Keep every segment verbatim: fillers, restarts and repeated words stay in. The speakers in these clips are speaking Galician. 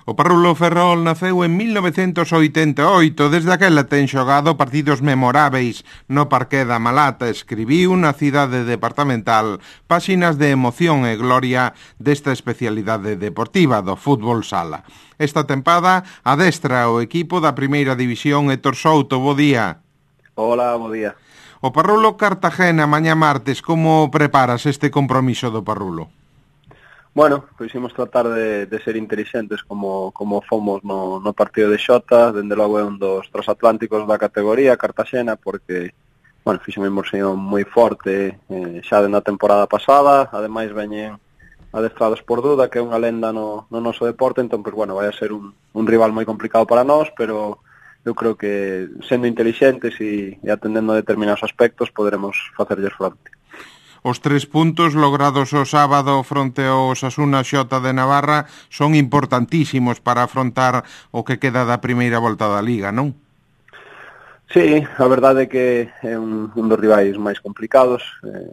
O Parrulo Ferrol naceu en mil novecentos oitenta e oito, desde aquela ten xogado partidos memoráveis no Parqué da Malata, escribiu na cidade departamental páxinas de emoción e gloria desta especialidade deportiva do fútbol sala. Esta tempada adestra o equipo da primeira división Héctor Souto, bo día. Hola, bo día. O Parrulo Cartagena mañá martes, como preparas este compromiso do Parrulo? Bueno, pois imos tratar de, de ser inteligentes como, como fomos no, no partido de Xota, dende logo é un dos transatlánticos da categoría, Cartagena, porque, bueno, fixe unha inmersión moi forte eh, xa na temporada pasada, ademais veñen adestrados por Duda, que é unha lenda no, no noso deporte, entón, pois, bueno, vai a ser un, un rival moi complicado para nós, pero eu creo que, sendo inteligentes e, e atendendo a determinados aspectos, poderemos facerlles fronte. Os tres puntos logrados o sábado fronte ao Osasuna Xota de Navarra son importantísimos para afrontar o que queda da primeira volta da Liga, non? Sí, a verdade é que é un, un dos rivais máis complicados. Eh,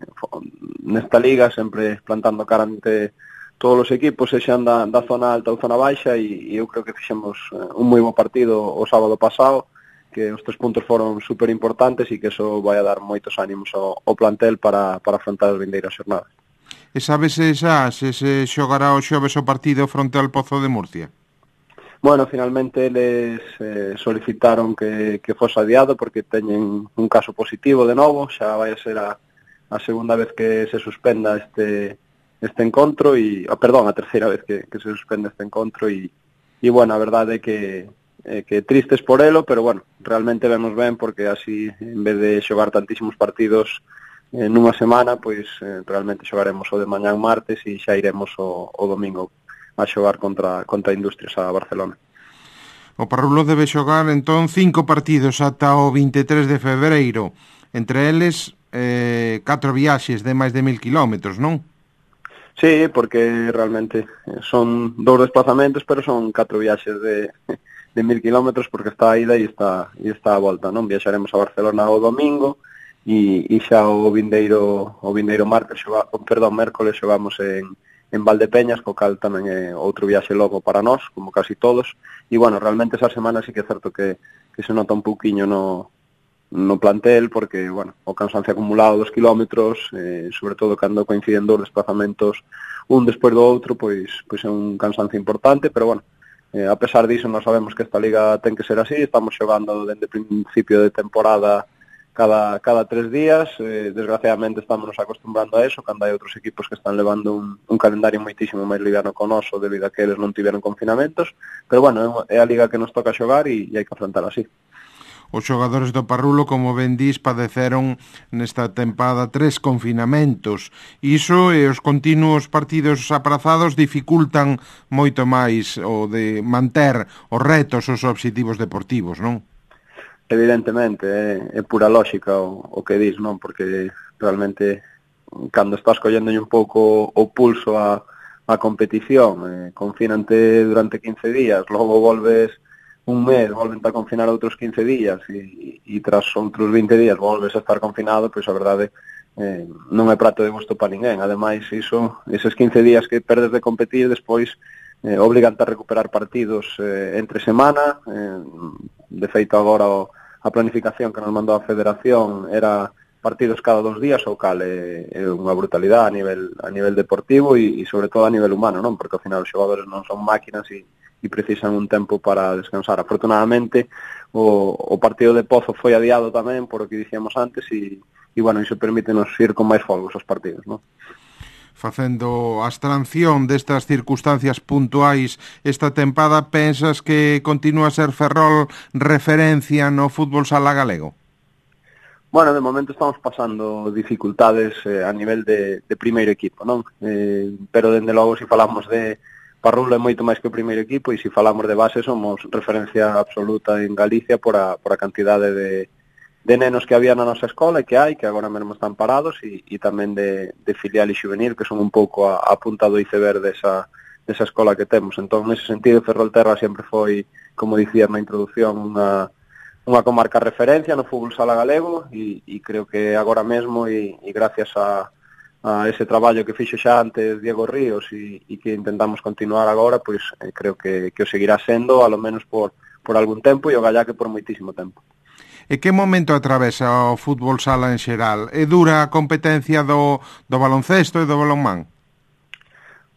nesta Liga, sempre plantando cara ante todos os equipos, sexan da, da zona alta ou zona baixa, e, e eu creo que fixemos un moi bo partido o sábado pasado, que os tres puntos foron super importantes e que eso vai a dar moitos ánimos ao, ao plantel para, para afrontar as vindeiras xornadas. E sabes xa se se xogará o xoves o partido fronte ao Pozo de Murcia? Bueno, finalmente eles eh, solicitaron que, que fose adiado porque teñen un caso positivo de novo, xa vai a ser a, a segunda vez que se suspenda este este encontro e, oh, perdón, a terceira vez que, que se suspende este encontro e, e bueno, a verdade é que eh, que tristes por elo, pero bueno, realmente vemos ben porque así, en vez de xogar tantísimos partidos eh, nunha semana, pois eh, realmente xogaremos o de mañán martes e xa iremos o, o domingo a xogar contra, contra Industrias a Barcelona. O Parrulo debe xogar entón cinco partidos ata o vinte e tres de febreiro, entre eles eh, catro viaxes de máis de mil kilómetros, non? Sí, porque realmente son dous desplazamentos, pero son catro viaxes de... de mil kilómetros, porque está a ida e está, e está a volta, non? Viaxaremos a Barcelona o domingo e, e xa o vindeiro o vindeiro martes, xoga, perdón, mércoles xogamos en, en Valdepeñas, co cal tamén é outro viaxe logo para nós, como casi todos, e bueno, realmente esa semana sí que é certo que, que se nota un pouquiño no, no plantel, porque, bueno, o cansancio acumulado dos kilómetros, eh, sobre todo cando coinciden dous desplazamentos un despois do outro, pois, pois é un cansancio importante, pero bueno, Eh, a pesar diso, nós sabemos que esta liga ten que ser así, estamos xogando dende principio de temporada cada, cada tres días, eh, desgraciadamente estamos nos acostumbrando a eso, cando hai outros equipos que están levando un, un calendario moitísimo máis liviano con noso, debido a que eles non tiveron confinamentos, pero bueno, é a liga que nos toca xogar e, e hai que afrontar así. Os xogadores do Parrulo, como ben dís, padeceron nesta tempada tres confinamentos. Iso e os continuos partidos aprazados dificultan moito máis o de manter os retos, os obxectivos deportivos, non? Evidentemente, é, é pura lógica o, o que dís, non? Porque realmente, cando estás colléndolle un pouco o pulso a, a competición, eh, confínante durante quince días, logo volves un mes, volven a confinar outros quince días e, e tras outros vinte días volves a estar confinado, pois a verdade eh, non é prato de gusto para ninguén. Ademais, iso, eses quince días que perdes de competir, despois eh, obrigante a recuperar partidos eh, entre semana. Eh, de feito, agora o, a planificación que nos mandou a Federación era partidos cada dos días, o cal é, é unha brutalidade a nivel, a nivel deportivo e, e sobre todo a nivel humano, non? Porque ao final os xogadores non son máquinas e e precisan un tempo para descansar. Afortunadamente, o, o partido de Pozo foi adiado tamén, por o que dicíamos antes, e, e bueno, iso permítenos ir con máis folgos aos partidos, non? Facendo a abstracción destas circunstancias puntuais esta tempada, pensas que continúa a ser Ferrol referencia no fútbol sala galego? Bueno, de momento estamos pasando dificultades eh, a nivel de, de primeiro equipo, non? Eh, pero, dende logo, se falamos de Parrulo é moito máis que o primeiro equipo e se falamos de base somos referencia absoluta en Galicia por a, por a cantidade de, de nenos que había na nosa escola e que hai, que agora mesmo están parados e, e tamén de, de filial e juvenil, que son un pouco a, a punta do iceberg desa, desa escola que temos. Entón, nese sentido, Ferrolterra sempre foi, como dicía na introducción, unha, unha comarca referencia no fútbol sala galego e, e creo que agora mesmo e, e gracias a a ese traballo que fixo xa antes Diego Ríos e, e que intentamos continuar agora, pois eh, creo que, que o seguirá sendo, alo menos por, por algún tempo, e o gallá que por moitísimo tempo. E que momento atravesa o fútbol sala en xeral? É dura a competencia do, do baloncesto e do balonmán?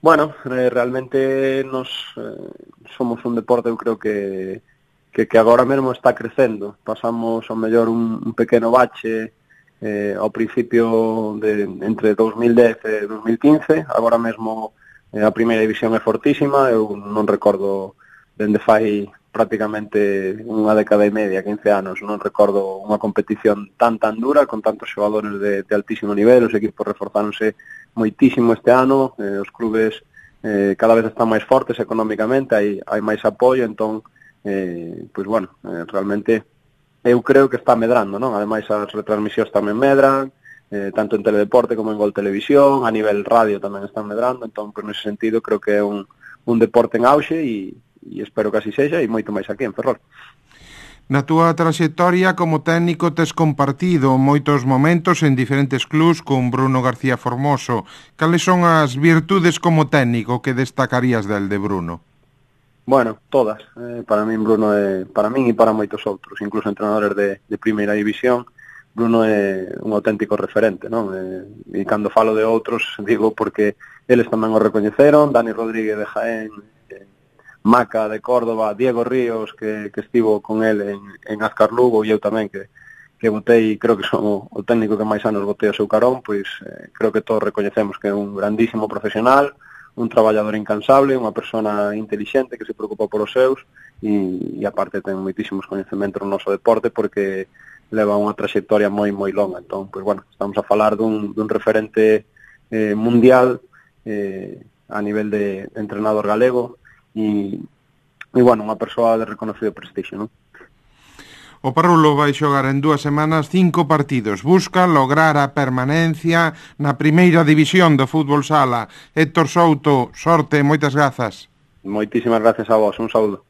Bueno, eh, realmente nos eh, somos un deporte, eu creo que, que, que agora mesmo está crecendo. Pasamos ao mellor un, un pequeno bache eh, ao principio de entre dos mil dez e dos mil quince, agora mesmo eh, a primeira división é fortísima, eu non recordo dende fai prácticamente unha década e media, quince anos, non recordo unha competición tan tan dura, con tantos xogadores de, de altísimo nivel, os equipos reforzáronse moitísimo este ano, eh, os clubes eh, cada vez están máis fortes económicamente, hai, hai máis apoio, entón, eh, pois bueno, eh, realmente eu creo que está medrando, non? Ademais, as retransmisións tamén medran, eh, tanto en teledeporte como en Gol Televisión, a nivel radio tamén están medrando, entón, por nese sentido, creo que é un, un deporte en auxe e, e espero que así sexa, e moito máis aquí en Ferrol. Na túa traxectoria como técnico tes compartido moitos momentos en diferentes clubs con Bruno García Formoso. Cales son as virtudes como técnico que destacarías del de Bruno? Bueno, todas. Eh, para min Bruno é, para min e para moitos outros, incluso entrenadores de, de primeira división, Bruno é un auténtico referente, non? Eh, e cando falo de outros, digo porque eles tamén o recoñeceron, Dani Rodríguez de Jaén, eh, Maca de Córdoba, Diego Ríos, que, que estivo con el en, en Azcar Lugo, e eu tamén, que, que botei, creo que son o, o técnico que máis anos botei o seu carón, pois eh, creo que todos recoñecemos que é un grandísimo profesional, un traballador incansable, unha persona intelixente que se preocupa por os seus e, e aparte ten moitísimos coñecementos no noso deporte porque leva unha trayectoria moi moi longa. Entón, pois bueno, estamos a falar dun, dun referente eh, mundial eh, a nivel de, de entrenador galego e, e bueno, unha persoa de reconocido prestixio, non? O Parrulo vai xogar en dúas semanas cinco partidos. Busca lograr a permanencia na primeira división do fútbol sala. Héctor Souto, sorte, moitas grazas. Moitísimas gracias a vos, un saúdo.